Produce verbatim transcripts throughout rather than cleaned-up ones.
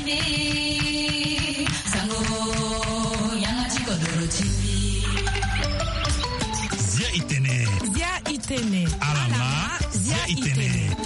Zia itene. Zia itene. Alama. Zia itene.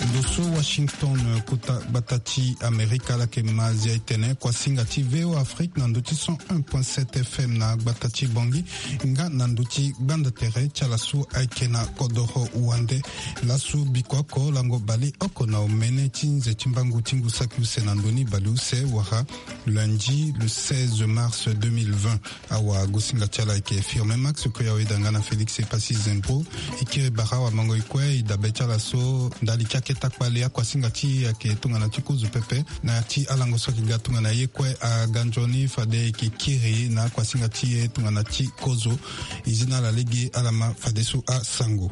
Ndo so Washington, kota gbata ti Amerika, ala yeke ma zia itene kuasinga ti V O Afrique na ndo ti cent un point sept F M na gbata ti Bangui, nga na ndo ti gbanda tere ti ala so ayeke na kodoro wande. Laso biko oko lango baleoko na omene ti nze ti mbangu ti ngu saki use na ndo ni baleuse wala lundi le seize mars deux mille vingt. Awagosinga ti ala ayeke Firmin Max Koya, weda nga na Félix Epassi Zembro. E kiri bara awamango e kue, e dabe ti ala so ndali ti akete akpale akuasinga ti e ayeke tongana ti kozo pepe. Na ya ti alango so ayeke ga tongana ye kue aga nzoni fade e yeke kiri na akuasinga ti e tongana ti kozo. E zi na ala lege ala ma fadeso asango.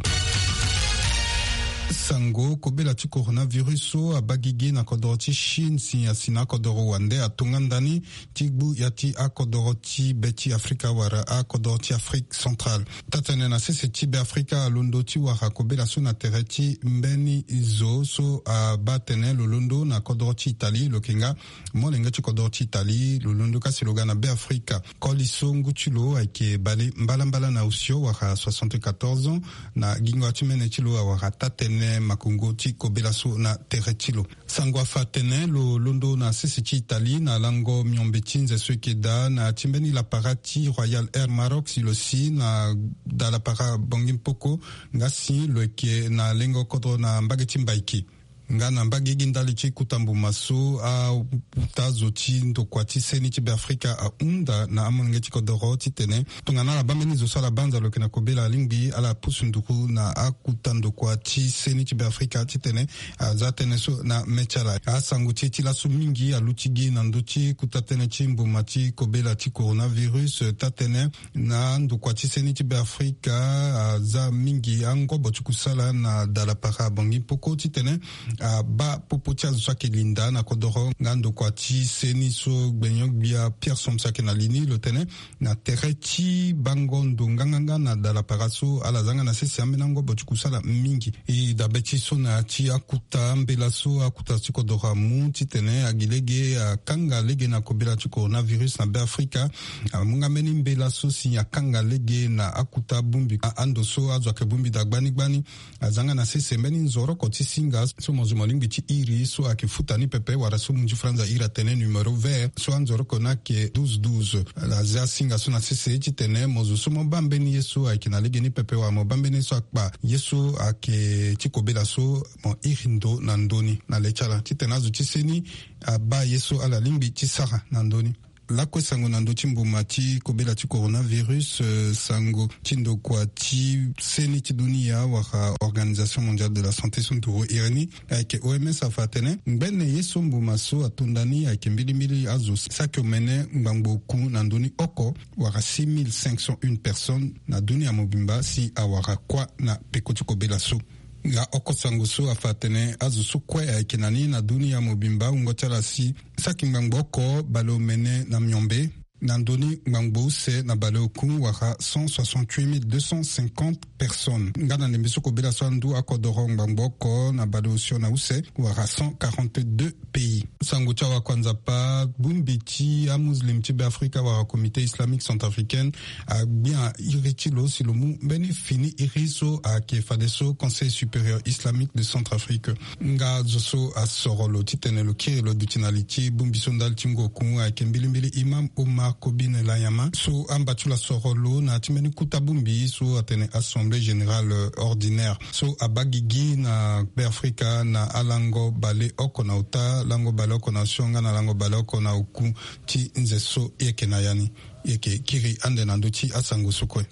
Sango, kobela ti coronavirus so abaa gigi na kodoro ti Chine si asi na akodoro wande atonga ndani ti gbu ya ti akodoro ti be ti Afrika wala akodoro ti Afrique centrale. Taa-tënë na sese ti Beafrika alondo ti wara kobela so na tere ti mbeni zo so abaa tënë lo londo na kodoro ti Italie, lo yeke nga molenge ti kodoro ti Italie, lo londo ka si lo ga na Beafrika. Koli so ngu ti lo ayeke bale mbalambala na osio wala soixante-quatorze ans, na gingo ti mene ti lo awara taa-tënë makongo ti kobela so na tere ti lo. Sango afa atene lo londo na sese ti Italie na lango miombe ti nze so eke daa na ti mbeni lapara ti Royal Air Maroc si lo si na dalapara Bangui Mpoko, nga si lo yeke na lengo kodro na mbage ti Mbaïké. Nga na mbage gi ndali ti kuta mbuma so akuta zo ti ndokua ti seni ti Beafrika ahunda na amolenge ti kodoro titene tongana ala baa mbeni zo so ala banza lo yeke na kobela alingbi ala pusu nduru na akuta ndokua ti seni ti Beafrika titene aza tënë so na mê ti ala. Asango ti e ti laso mingi aluti gi na ndö ti kuta tënë ti mbuma ti kobela ti coronavirus, taa-tënë na ndokua ti seni ti Beafrika aza mingi angobo ti kusala na dalapara Bangui Mpoko titene abaa popo ti azo so ayeke linda na kodoro. Nga ndokua ti seni so gbenyo-gbia Pierre Somsa ayeke na li ni, lo tene na tere ti bango ndo nganganga na dalapara so ala za nga na sese ambeni angobo ti kusala mingi. E dabe ti so na ya ti akuta mbela so akuta ti kodoro amu titene agi lege akanga lege na kobela ti coronavirus na Beafrika. Amu nga mbeni mbela so si akanga lege na akuta bongbi a ando so azo ayeke bongbi daa gbani gbani. Aza nga na sese mbeni nzoroko ti singa so mo zo mo lingbi ti iri so ayeke futa ni pepe wala so munzi franza iri atene numéro vert so anzoroko ni ayeke douze douze. Ala zia singa so na sese titene mo zo so mo baa mbeni ye so ayeke na legeni pepe wala mo baa mbeni ye so akpa ye so ayeke ti kobela so, mo iri ndo na ndö ni na le ti ala titene azo ti seni abaa ye so ala lingbi ti sara na ndö ni. Lakue sango na ndö ti mbuma ti kobela ti coronavirus, eh, sango ti ndokua ti seni ti dunia wala Organisation Mondiale de la Santé so nduru iri ni ayeke O M S afa atene ngbene ye so mbuma so atonda ni ayeke mbilimbili azo saki omene ngbangbo oku na ndö ni oko wala six mille cinq cent une personnes na dunia mobimba si awara kuâ na peko ti kobela so. Nga oko sango so afa atene azo so kue ayeke na ni na dunia mobimba wungo ti ala si saki ngbangbo oko baleomene na miombe, na ndö ni ngbangbo use na baleoku wala cent soixante-huit mille deux cent cinquante personnes. Nga na ndembe so kobela so andu akodoro ngbangbo oko na baleosio na use wala cent quarante-deux pays. Sango ti awakua Nzapa, bongbi ti amuslim ti Beafrika wala Comité Islamique Centrafricaine agbia iri ti lo si lo mu mbeni fini iri so ayeke fadeso Conseil Supérieur Islamique de Centrafrique. Nga zo so asoro lo titene lo kiri lo duti na li ti bongbi so ndali ti ngu oku ayeke mbilimbili Imam Omar Kobine Layama so amba ti lo asoro lo na ya ti mbeni kuta bongbi so atene Assemblée Générale Ordinaire so abaa gigi na Beafrika na alango baleoko na ota, lango baleoko na osio nga na lango baleoko na oku ti nze so e yeke na ya ni. E yeke kiri ande na ndö ti asango so kue.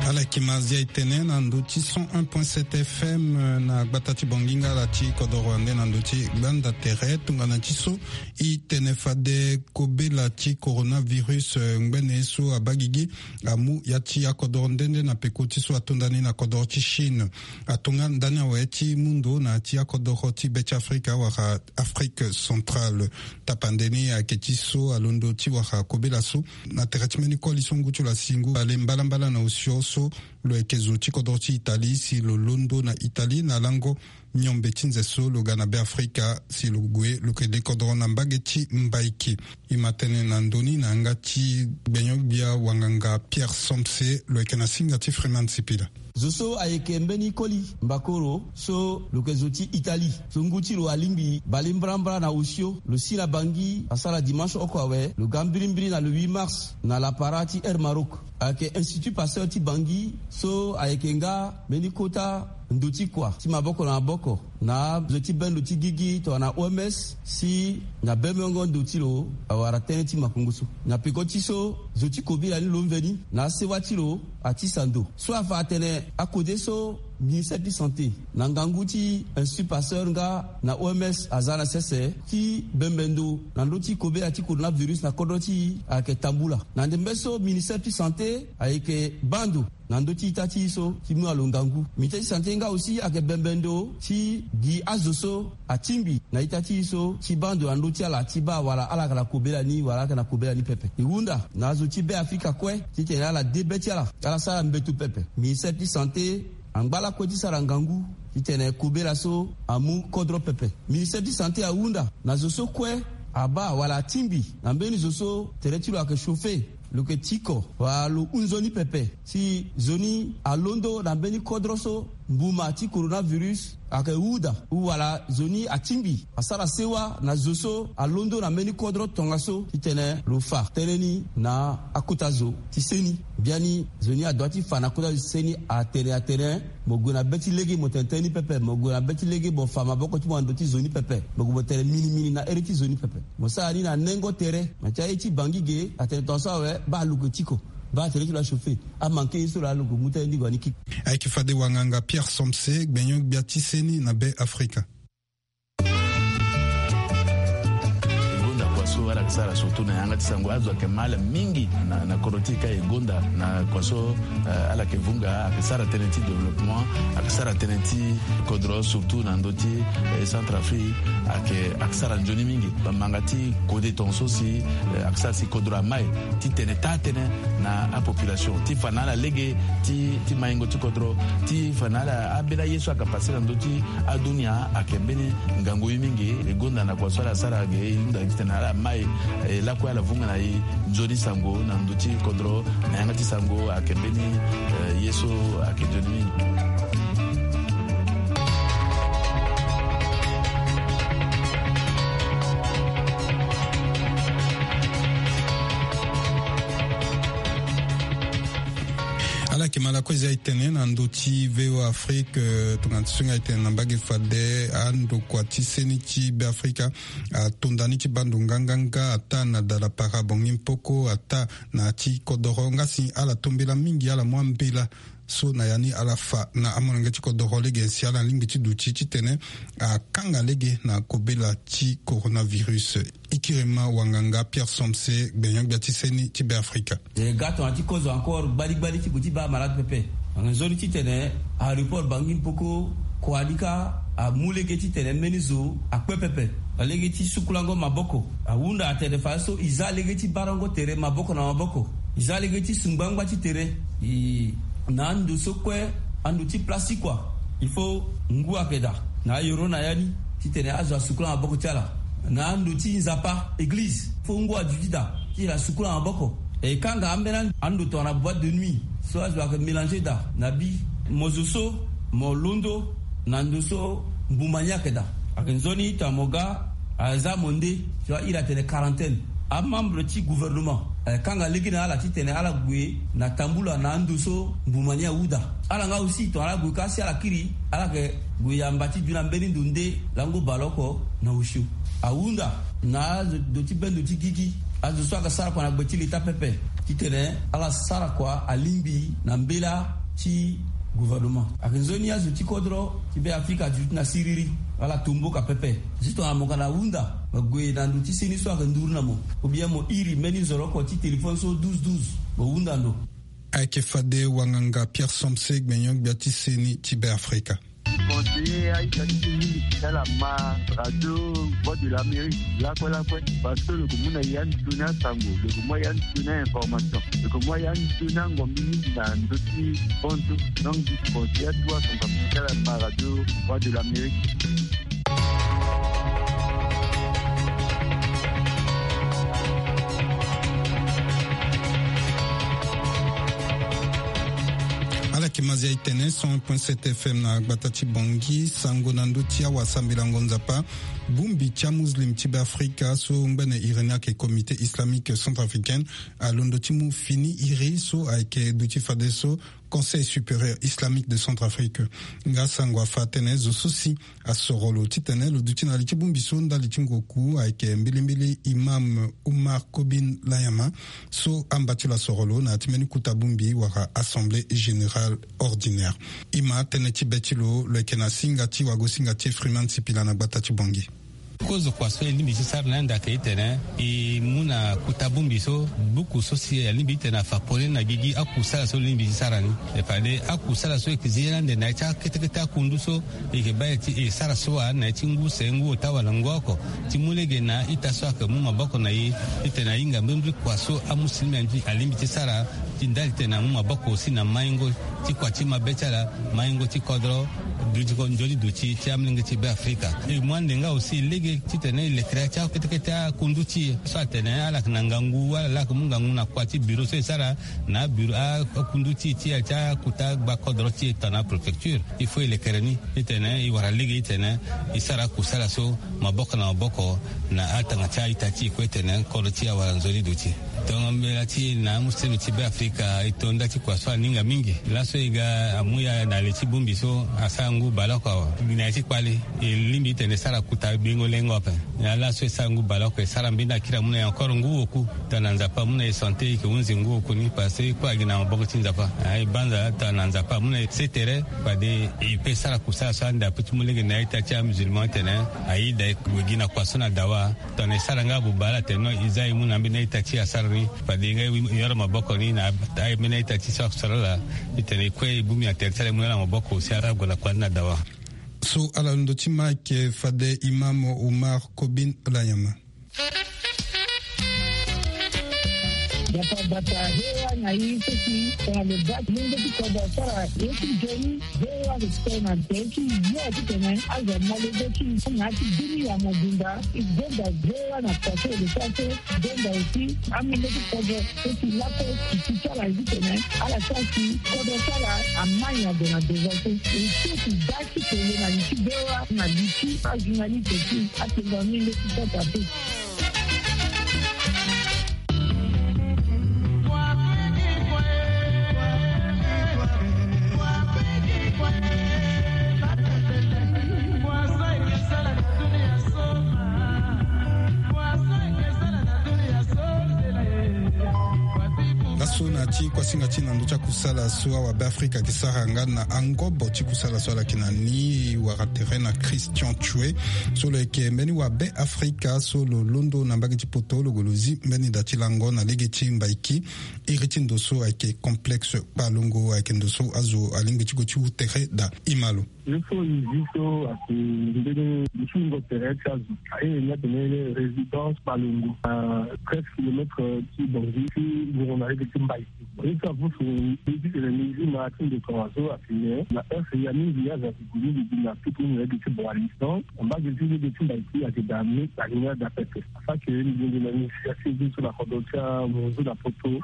Ala Kimazia e tene na ndo ti cent un point sept F M, eh, na gbata ti Bonginga ala ti kodoro ande na ndo ti gbanda tere tongana ti so. E tene fade kobela ti coronavirus, eh, ngbene so abaa gigi amu ya ti akodoro nde nde na peko ti so atonda ni na kodoro ti Chine. Atonga ndani awe ti mu ndo na ya ti akodoro ti be ti Afrika wala Afrique centrale. Tapande ni ayeke ti so alondo ti wara kobela so na tere ti mbeni koli so ngu ti lo asi ngu bale mbalambala na osio so lo yeke zo ti kodoro ti Italie si lo londo na Italie na lango miombe ti nze so lo ga na Be Afrika si lo gue lo yeke le kodoro na mbage ti Mbaiki. E ma tene na ndö ni na yanga ti gbenyo-gbia wanganga Pierre Somse, lo yeke na singa ti Freeman Sipila. Zo so ayeke mbeni koli mbakoro so lo yeke zo ti Italie so ngu ti lo alingbi bale mbrambra na osio, lo si na Bangui asara dimanche oko awe, lo ga mbirimbiri na le huit mars na lapara ti Air Maroc. Ayeke Institut Pasteur ti Bangui so ayeke nga mbeni kota ndo ti kua ti maboko na maboko na azo ti bendo ti gigi tongana O M S si na bemengo ndo ti lo awara tënë ti makongo so. Na peko ti so zo ti kobela ni lo mveni na asewa ti lo atisa ndo so afa atene akode so ministère ti santé na ngangu ti Institut Pasteur nga na O M S aza na sese ti bembe ndo na ndö ti kobela ti coronavirus na kodro ti e ayeke tambula. Na ndembe so ministère ti santé ayeke baa ndo na ndö ti ita ti e so ti mu na lo ngangu. Ministère ti santé nga aussi ayeke bembe ndo ti gi azo so atingbi na ita ti e so ti baa ndo na ndö ti ala ti baa wala ala yeke na kobela ni wala ala yeke na kobela ni pepe. E hunda na azo ti Be Afrika kue titene ala de be ti ala, ala sara mbeto pepe. Ministère ti santé angba lakue ti sara ngangu titene kobela so amu kodro pepe. Ministère ti santé ahunda na zo so kue abaa wala atingbi na mbeni zo so tere ti lo ayeke chauffer, lo yeke tiko wala lo hunzoni pepe si zo ni alondo na mbeni kodro so mbuma ti coronavirus ayeke huda, ou wala zo ni atingbi asara sewa na zo so alondo na mbeni kodro tongaso titene lo fa tënë ni na akota zo ti seni. Biani zo ni adoit ti fa na kota zo ti seni atene atene mo gue na be ti lege mo tene tënë ni pepe, mo gue na be ti lege mo fa maboko ti mo na ndo ti zo ni pepe, mo gue mo tene minimini na ere ti zo ni pepe. Mo sara ni na nengo tere na ti aye ti Bangui ge atene tongaso awe baa lo yeke tiko, baa tere ti lo achauffer, amanke ye so lo alo lo mu tënë ni gue ni kiki. Ayeke fade wanganga Pierre Somse, gbenyo-gbia ti seni na Be Afrika. E gonda kua so ala yeke sara surtout na yanga ti sango azo ayeke ma ala mingi na, na kodro ti e ka e gonda na kua so, eh, ala yeke vunga ayeke sara tënë ti développement, ayeke sara tënë ti kodro surtout na ndö ti, eh, Centrafrique ayeke, ayeke sara nzoni mingi. Bamanga ti kode tongaso si, eh, ayeke sara si kodro amai ti tene taa tënë na apopulation ti fa na ala lege ti, ti maingo ti kodro ti fa na ala ambeni aye so ayeke pase na ndö ti adunia ayeke mbeni ngangu ye mingi. E gonda na kua so ala sara ge e hunda titene ala mai, eh, lakue ala vunga na e nzoni sango na ndö ti kodro na yanga ti sango ayeke mbeni, eh, ye so ayeke nzoni mingi. Ala yeke ma lakue zia e tene na ndö ti V O A Afrique, eh, tongana ti so nga e tene na mbage fade andokua ti seni ti Be Afrika atonda ni ti baa ndo nganganga ata na dala para bongi mpoko ata na ti kodoro nga si ala to mbela mingi ala mu ambela so na ya ni ala fa na amolenge ti kodoro lege si ala lingbi ti duti titene akanga lege na kobela ti coronavirus. Ikirima wanganga Pierre Somse, gbenyo-gbia ti seni ti Be Afrika. E ga tongana ti kozo encore gbaligbali ti gue ti baa malade pepe. Nzoni titene aéroport Bangui Mpoko kua ni kâ amu lege titene mbeni zo akpe pepe na lege ti sukulango maboko. Ahunda atene fadeso e za lege ti barango tere maboko na maboko. E za lege ti su ngbangba ti tere. E na ando so kue, ando ti place ti kua, il faut ngu ayeke daa na ayoro na ya ni titene azo asukula maboko ti ala. Na ando ti nzapa, église, fo ngu aduti daa titene asukula maboko. E kanga ambeni ando tongana boîte de nuit so azo ayeke mélanger daa na bi. Mo zo so mo londo na ndo so mbuma ni ayeke daa, ayeke nzoni tongana mo ga aza mo nde so a iri atene quarantaine. Amembre ti gouvernement ayeke kanga lege na ala titene ala gue na tambula na ando so mbuma ni awu daa. Ala nga aussi tongana ala gue kâ si ala kiri, ala yeke gue yamba ti duti na mbeni ndo nde lango baleoko na osio. Ahunda na azo ndo ti bendo ti gigi, azo so ayeke sara kua na gbe ti leta pepe titene ala sara kua alingbi na mbela ti gouvernement. Ayeke nzoni azo ti kodro ti Be Afrika aduti na siriri wala tomboka pepe. Juste na mo ka na hunda, mo gue na ndo ti seni so ayeke nduru na mo, ou bien mo iri mbeni nzoroko ti téléphone so douze douze, mo hunda ndo. Ayeke fade wanganga Pierre Somse, gbenyo-gbia ti seni ti Be Afrika. Conseiller aita ti mingi ti tala ma radio Voix de l'Amérique lakue lakue, parce que lo yeke mu na ya nzoni asango, lo yeke mu ya nzoni a-information, lo yeke mu ya nzoni angombi mingi na ndö ti bonzo. Donc conseiller atu asango ti tala ma radio Voix de l'Amérique. Ala yeke Mazia e tene cent un point sept F M na gbata ti Bangui. Sango na ndö ti awasambelango Nzapa. Bongbi ti amuslim ti Be Afrika so ngbene iri ni ayeke Comité Islamique Centrafricain alondo ti mu fini iri so ayeke duti fadeso Conseil Supérieur Islamique de Centrafrique. Nga sango afa atene zo so si asoro lo titene lo duti na li ti bongbi so ndali ti ngoku ayeke mbilimbili Imam Oumar Kobine Layama, so amba ti lo asoro lo na ya ti mbeni kota bongbi wala Assemblée Générale Ordinaire. Imam, tënë ti be ti lo lo yeke na singa ti wagosinga ti Freeman Sipila na gbata ti Bangui. Kozo kua so e lingbi ti sara na yanda ayeke titene e mu na kota bongbi so, buku so si alingbi titene afa pole ni na gigi akusala so lo lingbi ti sara ni. E fade akusala so e yeke zi ye na ande na ya ti akete kete akundu so e yeke baa e ti e sara so wa na ya ti ngu se, ngu ota wala ngu oko, ti mu lege na a-ita so ayeke mu maboko na e titene a hinga mbrimbri kua so amusilime alingbi ti sara, ti ndali titene amu maboko aussi na maingo ti kua ti mabe ti ala, maingo ti kodro, duti ko nzoni duti ti amolenge ti Be Afrika. E mu ande nga aussi lege titene e lekere ya ti akete kete akundu ti e so atene ala yeke na ngangu wala ala yeke mu ngangu na kua ti bureau so e sara na abureau a- akundu ti e ti ya ti akota gba kodro ti e tongana préfecture. Il faut e lekere ni titene e wara lege titene e sara akusala so maboko na maboko na atanga ti a-ita ti e kue titene kodro ti e awara nzoni duti. Tongo mbela ti e na amusilime ti Be Afrika e to nda ti kua so aninga mingi. Laso e ga amu ya na le ti bongbi so asara ngu baleoko awe. Gi na ya ti kpale e lingbi titene e sara kota gbengo lengo ape. Na laso e sara ngu baleoko e sara mbeni akiri amu na e encore ngu oku. Tongana Nzapa amu na e santé e yeke hunzi ngu oku ni parce que e kue agi na maboko ti Nzapa. A e banza tongana Nzapa amu na e se tere fade e pe sara kusala so ande ape ti mu lege na a-ita ti amusulman titene ayeda e gue gi na kua so na dawa. Tongana e sara nga buba ala tene non e za e mu na ambeni a-ita ti e asara ni. Fade nga e yoro maboko ni na a- ambeni a-ita ti e so asara ala. Titene e kue e bongbi na tere ti ala e mu na ala maboko si ala gue na kua ni na dawa. So ala londo ti ma ayeke fade Imam Oumar Kobine Layama. Bata bata hewa na i seki tongana lo baa ti mungo ti kodro asara ye ti nzoni. Hewa lo tene na nzoni ti yo titene azo amolenge ti na ya ti dunia mobimba. E gonda hewa na kua so e lo sara so. Gonda aussi amolenge ti kodro so si lakue ti ti ti ala ye titene ala sara si kodro ti ala amai na gue na devant so. E so si baa ti tene na li ti hewa na li ti ajournaliste ti atenga amolenge ti kodro ape. Laso na ti kuasinga ti na ndö ti akusala so awa Be Afrika ayeke sara nga na angobo ti kusala so ala yeke na ni wara tere na Christian Tchoué so lo yeke mbeni wa Be Afrika so lo londo na mbage ti poto lo gue lo zi mbeni da ti lango na lege ti Mbaiki. Iri ti ndo so ayeke complexe Kpalongo ayeke ndo so azo alingbi ti gue ti wu tere daa. Ima lo. Ye so e zi so ayeke mbeni dutingo tere ti azo. Aye ni atene résidence Kpalongo na treize kilomètres ti Bangui ti wungo na lege ti Mbaiki. Ye so apusu e zi tene mbi zi ma ti ndo tongaso atene na heure ya mingi azo ayeke gue mingi gi na tutu na lege ti Boali. Donc mbage ti lege ti Mbaiki ayeke daa me alinga daa pepe. Afake mbi gue na initiative so na kodro ti amunzu na poto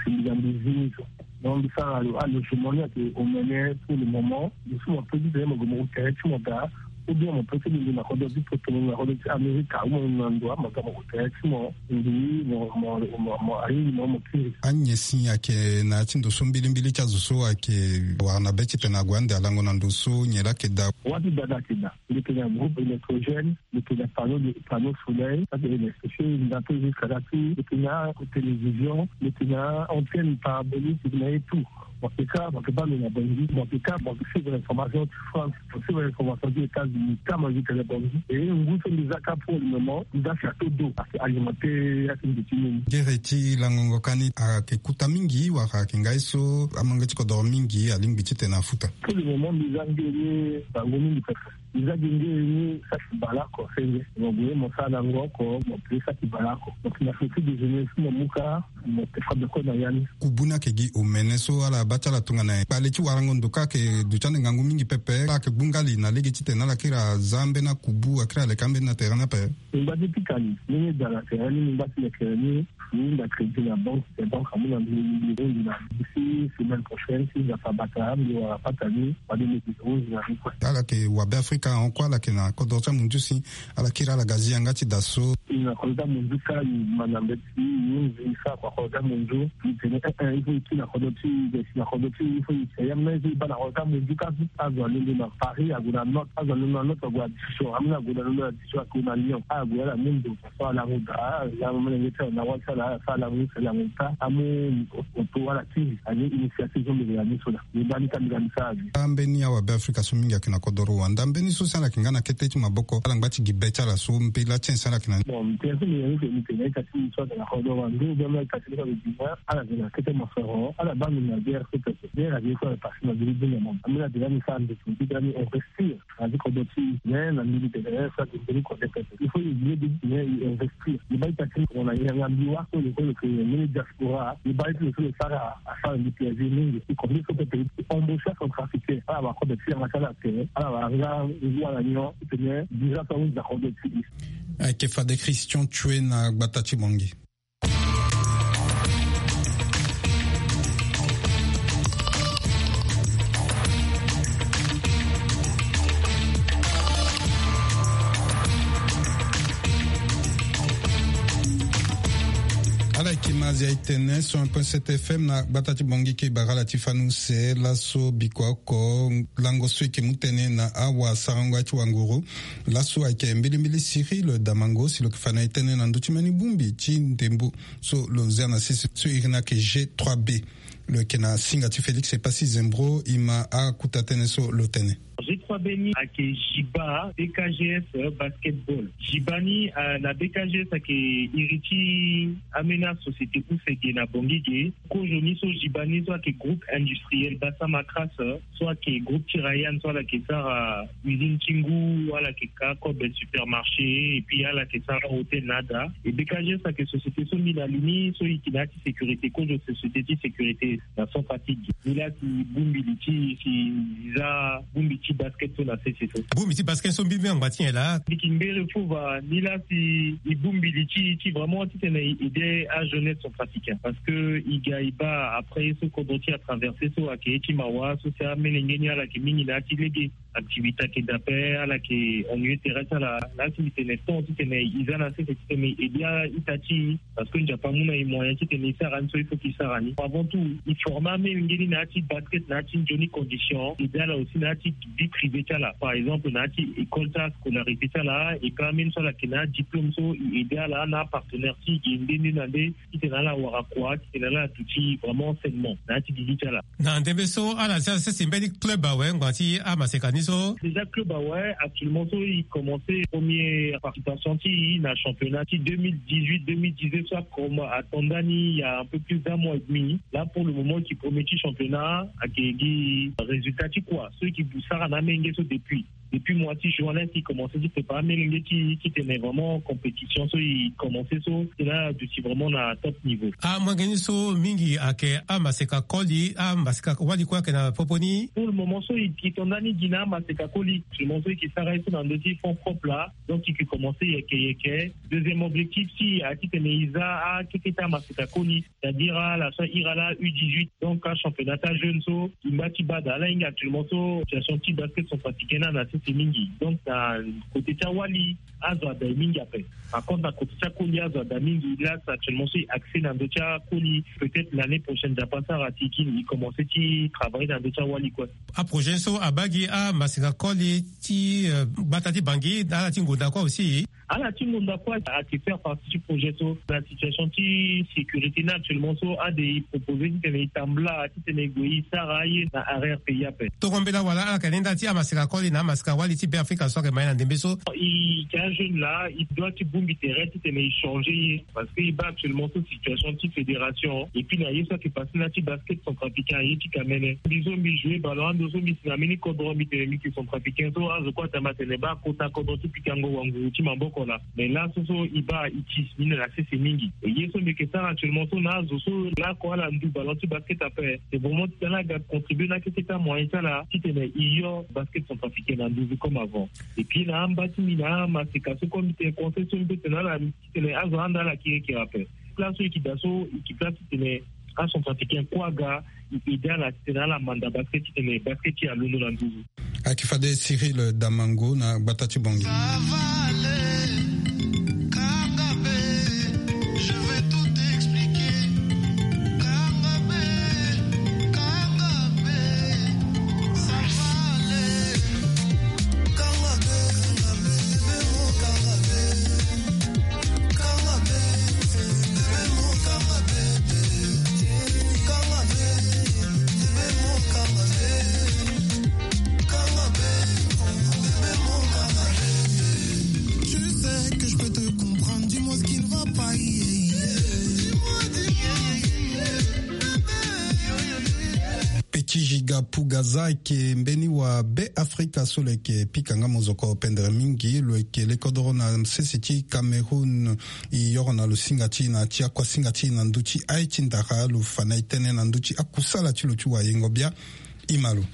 si mbi ga mbi zi ni so. Donc mbi sara lo alogement ni ayeke omene pour le moment. Mbi so mo pe ti tene mo gue mo tere ti mo daa. Ou bien mo pe ti mbi na kodro ti poto, na kodro ti Amerika, ou mo na ndo ama ga mo tere ti mo. Mbi mo mo mo mo ahingi mo mo kiri. Anyen si ayeke na ya ti ndo so mbilimbili ti azo so ayeke wara na be ti tene ague ande alango na ndo so nyen laa ayeke daa? Wâ ti daa daa ayeke daa. Mbi yeke na groupe électrogène, mbi yeke na panneau de panneau soleil, ça c'est électrifié, mbi na pe jusqu'à là ti mbi yeke na télévision, mbi yeke na antenne parabolique, mbi yeke na ye tout. Mo yeke ka, mo yeke baa lo na Bangui. Mo yeke ka, mo yeke suivre information ti France, mo suivre information ti États-Unis. Ka mo yeke tene Bangui. E ngu so mbi za ka pour le moment, mbi za château d'eau, ayeke alimenter ya ti mbi ti nini. Gere ti langongo ka ni ayeke kuta mingi wala ayeke ngai so amange ti kodoro mingi alingbi titene afuta? Pour le moment mbi za nge ni bango mingi pepe. Mbi za gi nge ni saki baleoko senge. Mo gue mo sara na ngo oko, mo pe saki baleoko. Donc na feti déjeuner so mo mu ka, mo te fa beko na ya ni. Kubu ni ayeke gi omene so ala baa ti ala tongana kpale ti warango ndo ka ayeke duti ande ngangu mingi pepe. Ala yeke gbu nga li na lege titene ala kiri aza ambeni akubu, akiri aleka ambeni na terrain ni ape. Mbi ngba ti pika li ndenge e daa na terrain ni, mbi ngba ti lekere ni. Mbi hunda crédit na banque, te banque amu na mbi, mbi hunda na mbi si semaine prochaine, si Nzapa abata, mbi wara patani, fade mbi hunda na mbi kue. Ala yeke Wabeafrika ahon kue, ala yeke na kodro ti amunzu si ala kiri ala ga zi yanga ti da so. E na kodro ti amunzu ka, e ma na mbeti, e hunzi, e sara kua kodro ti amunzu. E tene, eh, eh, il faut e kiri na kodro ti e, e si na kodro ti e, il faut e si na ya, mais il faut e baa na kodro ti amunzu ka, azo alondo na Paris, ague na Nantes, azo alondo na Nantes, ague na Dijon, ameni ague na, alondo na Dijon, ague na Lyon, ague ala mu ndo. So ala mu da, ala mu melenge ti ala na wali ti ala, ala mu sele na monta, amu oto wala kiri, ani initiative so mbi yeke na ni so da. Mbi baa ni ka mbi ga mbi sara avi. Ambeni awabeafrika so mingi ayeke na kodoro wanda, mbeni so si ala yeke nga na kete ti maboko, ala ngba ti gi be ti ala so, mpela ti nyen si ala yeke na ni? Bon, mbi tene so mbi yeke ni, mbi tene ita ti mbi so ayeke na kodoro wanda, ou bien ita ti mbi so ayeke Guinée, ala yeke na kete mosoro, ala baa mbi na guerre so pepe. Guerre ayeke so ayeke passé na mbi ti bini na mo. Ambeni ade la mbi sara mbi ti mbi ti ga mbi investir. Na ti kodro ti e, mais na mbi mbi tene, eh, so ayeke mbeni kodro pepe. Il faut e ye de, mais e investir. E baa ita ti e tongana yanga mbi wâ so lo so lo yeke mbeni diaspora. E baa ti lo so lo sara asara mbi plaisir mingi. E kodro so pepe e embaucher acentrafricain. Ala wara kodro ti yanga ti ala tere. Ala wara nga ngu ala nyon titene dirigeant so ahunzi na kodro ti e. Ayeke fade Christian Tchoué na gbata ti Bangui. Ala yeke Mazia e tene cent un point sept F M na gbata ti Bangui, ke bara ala ti fani use laso bikua oko lango so e yeke mu tënë na awasarango ya ti wanguru. Laso ayeke mbilimbili Cyril Damango si lo yeke fa na e tënë na ndö ti mbeni bongbi ti ndembo so lo zia na sese so iri ni ayeke G trois B. Lo yeke na singa ti Félix Epassi Zembro, e ma akota tënë so lo tene. G trois B ni ayeke Jiba B K G S basketball. Jiba ni, ah, na B K G S ayeke iri ti ambeni asociété use ge na Bangui ge. Kozo ni so Jiba ni so ayeke groupe industriel Bassam Acras, so ayeke groupe ti Rayan so ala yeke sara usine ti ngu, ala yeke ka kobe supermarché, et puis ala yeke sara hôtel na ada. E B K G S ayeke société so mbi na li ni so e yeke na ya ti sécurité, kozo société ti sécurité na Centrafrique. Ni la si bongbi li ti e si e za bongbi ti basket so na sese so. Bongbi ti basket so mbi mbi angba ti nyen laa? Mbi yeke ngere fo va ni la si e bongbi li ti e ti vraiment titene e aider ajeunesse centrafricain. Parce que e ga e baa après ye so kodro ti e atraverser so ayeke ye ti mawa so si amelenge ni ala yeke mingi na ya ti lege. Activité ayeke daa ape, ala yeke ennuyé tere ti ala. Laa si mbi tene temps titene e za na sese titene e aider a-ita ti e, parce que Nzapa amu na e moyen titene e sara ni so il faut que e sara ni. Avant tout, e former amelenge ni na ya ti basket, na ya ti nzoni condition, e aider ala aussi na ya ti vie privée ti ala. Par exemple, na ya ti école ti ala, scolarité ti ala, e ka ambeni so ala yeke na adiplôme so e aider ala na apartenaire ti e nde nde na nde. Titene ala wara kua, titene ala duti vraiment sainement na ya ti gigi ti ala. Na ndembe so ala zia sese mbeni club awe ngbanga ti amaseka ni so. Déjà club awe actuellement so e commencé première participation ti e na championnat ti deux mille dix-huit deux mille dix-neuf so ato ndani il y a un peu plus d'un mois et demi. Là pour le moment e yeke premier ti championnat, ayeke gi résultat ti kua so e yeke sara na amenge so depuis. Depuis mois ti juin la si e commencé ti prépare amenge ti e titene vraiment compétition so e commencé so titene ala duti vraiment na top niveau. Amolenge ni so mingi ayeke amaseka koli, amaseka wali kue ayeke na popo ni. Pour le moment so e yeke to ndani gi na amaseka koli, actuellement so e yeke sara ye so na ndö ti fonds propre la. Donc e yeke commencé yeke yeke. Deuxième objectif ti e ayeke titene e za akeke ti amaseka koli. C'est-à-dire ala so ahiri ala U dix-huit, donc achampionnat ti ajeune so e ngba ti baa daa. Ala hinga actuellement so situation ti basket centrafricain ni na sese mingi. Donc na côté ti awali azo ada e mingi ape. Par contre na côté ti akoli azo ada mingi. Là actuellement so e accès na ndö ti akoli. Peut-être l'année prochaine Nzapa asara ti e kini e commencé ti travailler na ndö ti awali kue. Aprojet so abaa gi amaseka koli ti, euh, gbata ti Bangui na ala ti ngonda kue aussi. Ala ti ngonda kue ake faire partie ti projet so na situation ti sécurité ni actuellement so ade e proposer titene e tambula titene e gue e sara aye na arrière pays ape. Tongana mbela wala ala yeke lenda ti amaseka koli na amaseka wali ti Beafrika so ayeke ma ye na ndembe so. E yeke ajeune laa, e doit ti bongbi tere titene e changer ye. Parce que e baa actuellement so situation ti fédération et puis na ye so ayeke passe na ti basket centrafricain aye ti kamene. Mbi so mbi jouer ballon ando so mbi si na mbeni kodro mbi tene mbi yeke centrafricain so azo kue atama atene baa kota kodro ti pikango wanguru ti maboko laa. Mais laso so e baa e ti si mbi na sese mingi. E ye so mbi yeke sara actuellement so na azo so laoko ala ndu ballon ti basket ape, c'est vraiment titene ala ga contribuer na akeketa moyen ti ala titene e yo basket centrafricain na nduzu comme avant. Et puis na amba ti mbi na amaseka so comme mbi tene conseil so mbi tene ala titene azo ahanda ala kirikiri ape. Place so e yeke daa so e yeke place titene acentrafricain kue aga e aide ala titene ala manda basket titene basket ti e alondo na nduzu. Ayeke fade Cyril Damango na gbata ti Bangui. Petit Giga Pugaza ayeke mbeni wa Be Afrika so lo yeke pika nga mozoko pendere mingi. Lo yeke lekodoro na sese ti Cameroun. E yoro na lo singa ti e na ti akuasinga ti e na ndö ti aye ti ndara. Lo fa na e tënë na ndö ti akusala ti lo ti wayengo bia. E ma lo.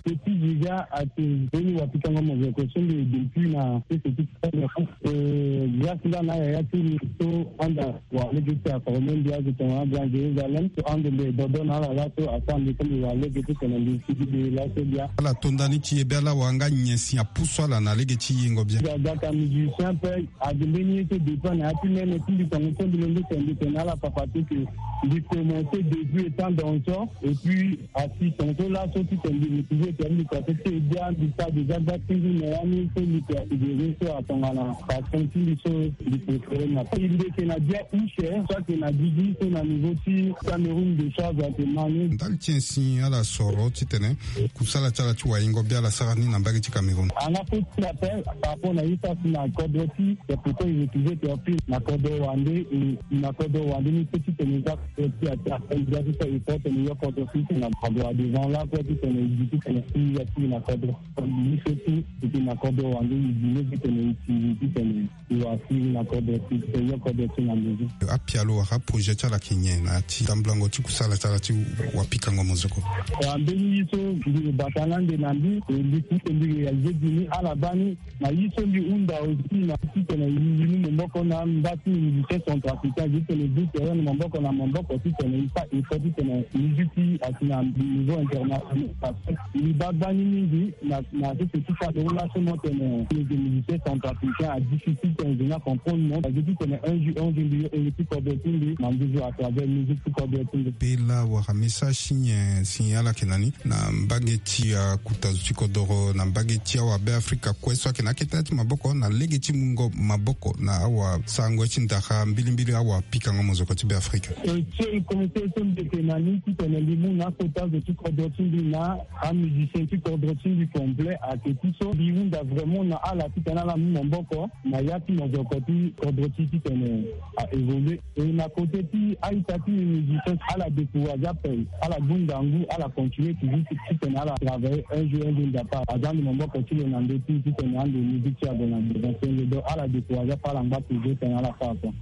Petit Giga ayeke mbeni wa pikango mozoko so mbi depuis na sese ti Cameroun. Eh, grâce nga na ayaya ti mbi so anda wa lege ti aforme mbi azo tongana Grand Jérusalem so ando mbi dodo na ala laso asara mbi so mbi wa lege titene mbi sigi mbi laso bia. Ala to ndani ti ye bia laa wa nga nyen si apusu ala na lege ti yengo bia. Ga gaka musicien ape. Ade mbeni ye so dépend na ya ti mene ti mbi tongo so mbi londo tene mbi tene na ala papa ti ke mbi commencé depuis étant danseur et puis asi tongo so laso titene mbi retrouver tene mbi commencé ti e bia mbi sara déjà gba ti ngu na ya ni so mbi ke asidere so atongana passion ti mbi so mbi préféré na e mbi yeke na bia usher so ayeke na gigi so na niveau ti Cameroun de charge ayeke ma ni. Ndali ti nyen si ala soro titene kusala ti ala ti wayengo bia ala sara ni na mbage ti Cameroun. Anga fo ti appel par rapport na ye so asi na kodro ti C'est pourquoi il refusait de sortir na kodro wande et na kodro wande ni so titene eza kodro ti ata eza ti so effort tene yo kodro ti tene na kodro devant la kue titene e gi titene si ya ti na kodro. Ni so ti titene na kodro wande e gi ni titene e si titene e wa si na kodro ti titene yo kodro ti na nduzu. Apialo wala aprojet ti ala ayeke nyen na ya ti tambulango ti kusala ti ala ti wapikango mozoko? Wa mbeni ye so mbi lo bata na ande na mbi e mbi titene mbi réaliser gi ni ala baa ni. Na ye so mbi hunda aussi na titene e mu maboko na mba ti musicien centrafricain titene e du terrain na maboko na maboko titene e sara effort titene musique ti asi na niveau international parce que mbi baa gbani mingi na na sese ti Cameroun laso mo tene lege musicien centrafricain adifficile titene e na comprendre mo agi titene un jour un jour mbi yo ere ti kodro ti mbi na nduzu à travers musique ti kodro ti mbi. Pela wala message ti nyen si ala yeke na ni? Na mbage ti akuta zo ti kodoro na mbage ti awabe afrika kue so ayeke na akete ti maboko na lege ti mungo maboko na awasarango ye ti ndara mbilimbili awapikango mozoko ti be afrika. E ti e conseil so mbi yeke na ni titene mbi mu na akota zo ti kodro ti mbi na amusicien ti kodro ti mbi complet ayeke ti so mbi hunda vraiment na ala titene ala mu maboko na ya ti mozoko ti kodro ti titene a évoluer. E na côté ti a-ita ti musicien ala décourage ape, ala gbu ngangu, ala continuer toujours ti titene ala travailler un jour un jour nzapa aza ande maboko ti lo na ndö ti titene ande musique ti ague na devant ti ande donc ala décourage ape, ala ngba toujours titene ala sara so.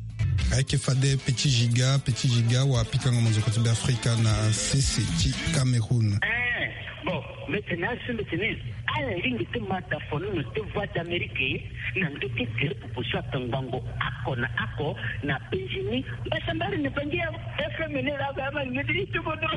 Ayeke fade petit giga petit giga wapikango mozoko ti be afrika na sese ti Cameroun. Bon, mbi tene asi mbi tene ala lingbi ti ma dafono na te voix d'Amérique na ndö ti gere proposition atangbango ako na ako na bengini mbasambari na bangi ya F M ni la ba ma ngedi ti bodo.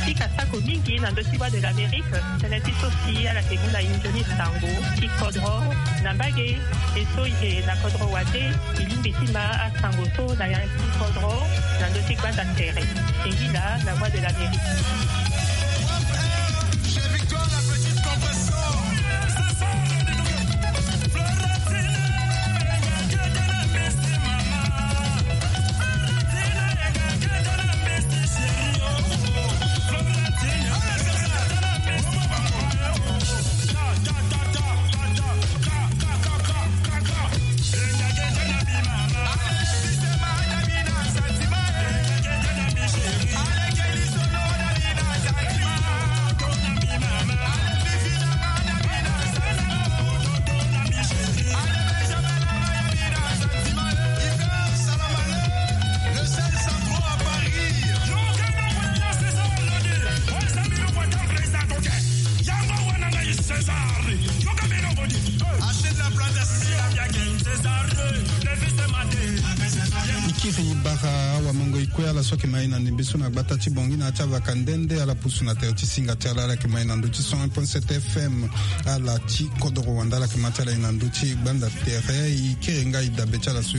Ika sako mingi na ndö ti Voix de l'Amérique, tënë ti so si ala yeke mu na e nzoni sango ti kodro na mbage. E so e yeke na kodro wande, e lingbi ti ma asango so na ya ti kodro na ndö ti gbanda tere. Singila na Voix de l'Amérique. E kiri bara awamango e kue ala so ayeke ma e na ndembe so na gbata ti Bangui na ya ti avaka nde nde ala pusu na tere ti singa ti ala. Ala yeke ma e na ndö ti cent un point sept F M. Ala ti kodoro wande ala yeke ma ti ala e na ndö ti gbanda tere. E kiri nga e dabe ti ala so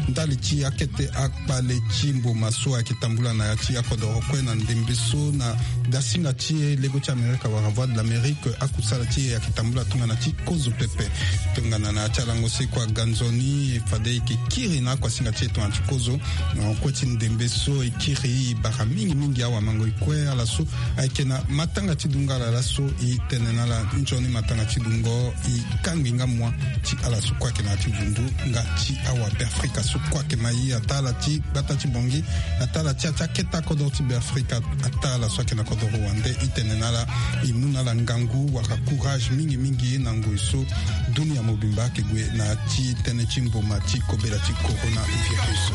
ndali ti akete akpale ti mboma so ayeke tambula na ya ti akodoro kue na ndembe so na dasinga ti e lego ti Amerika wala Voix de l'Amérique. Akusala ti e ayeke tambula tongana ti kozo pepe. Tongana na ya ti alango so e kue aga nzoni, fade e yeke kiri na akuasinga ti e tongana ti kozo. Na kue ti ndembe so e kiri e bara mingi mingi awamango e kue ala so ayeke na matanga ti dungo ala laso e tene na ala nzoni matanga ti dungo e kangbi nga mua ti ala so kue ayeke na ya ti vundu nga ti awa Beafrika so kue ayeke ma e, ataa ala ti gbata ti Bangui, ataa ala ti ya ti akete akodoro ti Beafrika, ataa ala so ayeke na kodoro wande. E tene na ala e mu na ala ngangu wala courage mingi mingi na ngoi so dunia mobimba ayeke gue na ya ti tënë ti mboma ti kobela ti coronavirus.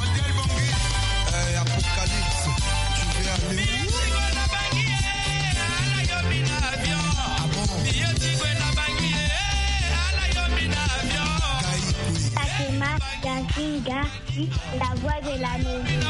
Euh, Apocalypse, tu veux aller où? Ah bon? Fatima Yazinga, la voix de la maison.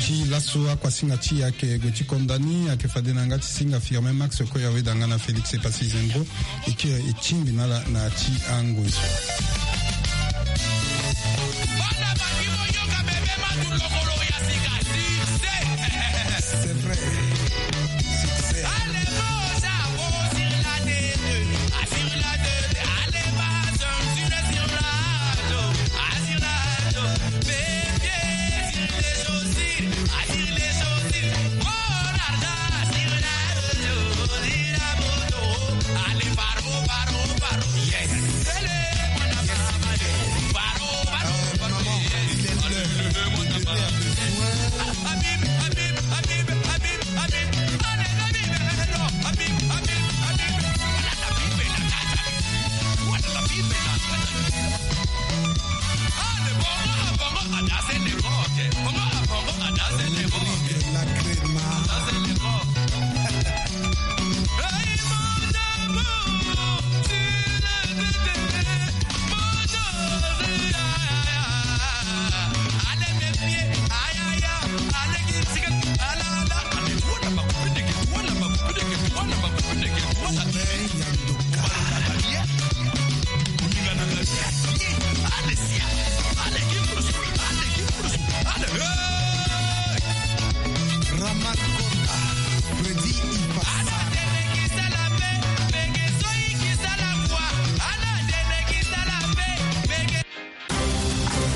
Ti laso akuasinga ti e ayeke gue ti konda ni, ayeke fade na yanga ti singa Firmin Max, Koya Weda nga na Félix Epassi Zembro. E kiri e tingbi na ala na ya ti angoi so. C'est vrai. Succès. Yes. Yes. Euh, maman, il est l'heure de donner un peu de soin.